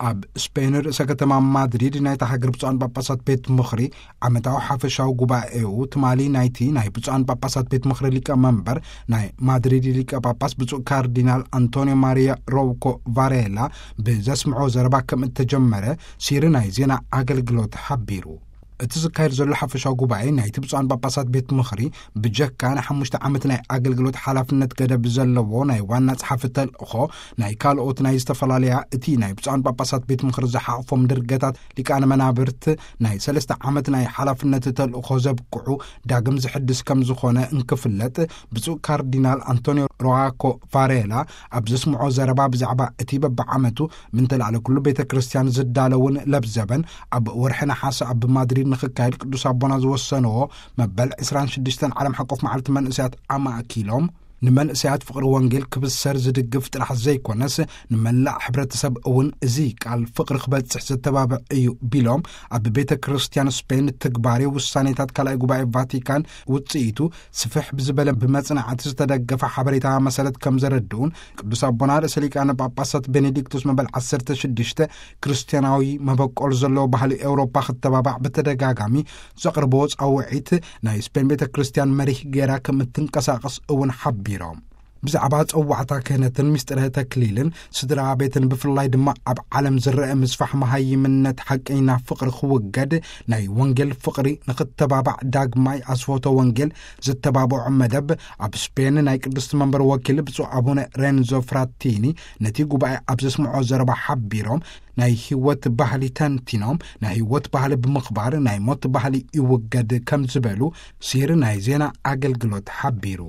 ኣብ ስፔን ርእሰ ከተማ ማድሪድ ናይታ ሃገር ብፁዓን ጳጳሳት ቤት ምኽሪ ዓመታዊ ሓፈሻዊ ጉባኤኡ ትማሊ ናይቲ ናይ ብፁዓን ጳጳሳት ቤት ምኽሪ ሊቀ መንበር ናይ ማድሪድ ሊቀ ጳጳስ ብፁዕ ካርዲናል ኣንቶኒዮ ማሪያ ሮኮ ቫሬላ ብዘስምዖ ዘረባ ከም እተጀመረ ሲሪ ናይ ዜና ኣገልግሎት ሓቢሩ። እቲ ዝካየድ ዘሎ ሓፈሻዊ ጉባኤ ናይቲ ብፁዓን ጳጳሳት ቤት ምኽሪ ብጀካ ንሓሙሽተ ዓመት ናይ ኣገልግሎት ሓላፍነት ገደብ ዘለዎ ናይ ዋና ጸሓፊ ተልእኾ ናይ ካልኦት ናይ ዝተፈላለያ እቲ ናይ ብፁዓን ጳጳሳት ቤት ምኽሪ ዝሓቕፎም ድርገታት ሊቃነ መናብርት ናይ ሰለስተ ዓመት ናይ ሓላፍነት ተልእኾ ዘብቅዑ ዳግም ዝሕድስ ከም ዝኾነ እንክፍለጥ፣ ብፁዕ ካርዲናል ኣንቶኒዮ ሮዋኮ ቫሬላ ኣብ ዘስምዖ ዘረባ ብዛዕባ እቲ በብዓመቱ ምንተላዕለ ኩሉ ቤተ ክርስቲያን ዝዳለውን ለብዘበን ኣብ ወርሒ ነሓሰ ኣብ ማድሪድ ንኽካየድ ቅዱስ ኣቦና ዝወሰንዎ መበል ዕስራን ሽዱሽተን ዓለም ሓቆፍ መዓልቲ መንእሰያት ኣማእኪሎም፣ ንመንእሰያት ፍቕሪ ወንጌል ክብሰር ዝድግፍ ጥራሕ ዘይኮነስ፣ ንመላእ ሕብረተሰብ እውን እዚ ቃል ፍቕሪ ክበጽሕ ዘተባብዕ እዩ ቢሎም፣ ኣብ ቤተ ክርስቲያን ስፔን ትግባሬ ውሳኔታት ካልኣይ ጉባኤ ቫቲካን ውጽኢቱ ስፍሕ ብዝበለ ብመጽናዕቲ ዝተደገፈ ሓበሬታ መሰረት ከም ዘረድኡን፣ ቅዱስ ኣቦና ርእሰ ሊቃነ ጳጳሳት ቤኔዲክቶስ መበል ዓሰርተ ሽዱሽተ ክርስትያናዊ መበቆል ዘለዎ ባህሊ ኤውሮጳ ክተባባዕ ብተደጋጋሚ ዘቕርቦ ጻውዒት ናይ ስፔን ቤተ ክርስቲያን መሪህ ገይራ ከም እትንቀሳቐስ እውን ሓቢሮም። ብዛዕባ ጸዋዕታ ክህነትን ምስጢረ ተክሊልን ስድራ ቤትን ብፍላይ ድማ ኣብ ዓለም ዝረአ ምስፋሕ መሃይምነት ሓቀኛ ፍቕሪ ክውገድ ናይ ወንጌል ፍቕሪ ንኽተባባዕ ዳግማይ ኣስፎቶ ወንጌል ዝተባብዖ መደብ ኣብ ስፔን ናይ ቅድስቲ መንበር ወኪል ብፁዕ ኣቡነ ሬንዞ ፍራቲኒ ነቲ ጉባኤ ኣብ ዘስምዖ ዘረባ ሓቢሮም ናይ ህይወት ባህሊ ተንቲኖም ናይ ህይወት ባህሊ ብምኽባር ናይ ሞት ባህሊ ይውገድ ከም ዝበሉ ሲሪ ናይ ዜና ኣገልግሎት ሓቢሩ።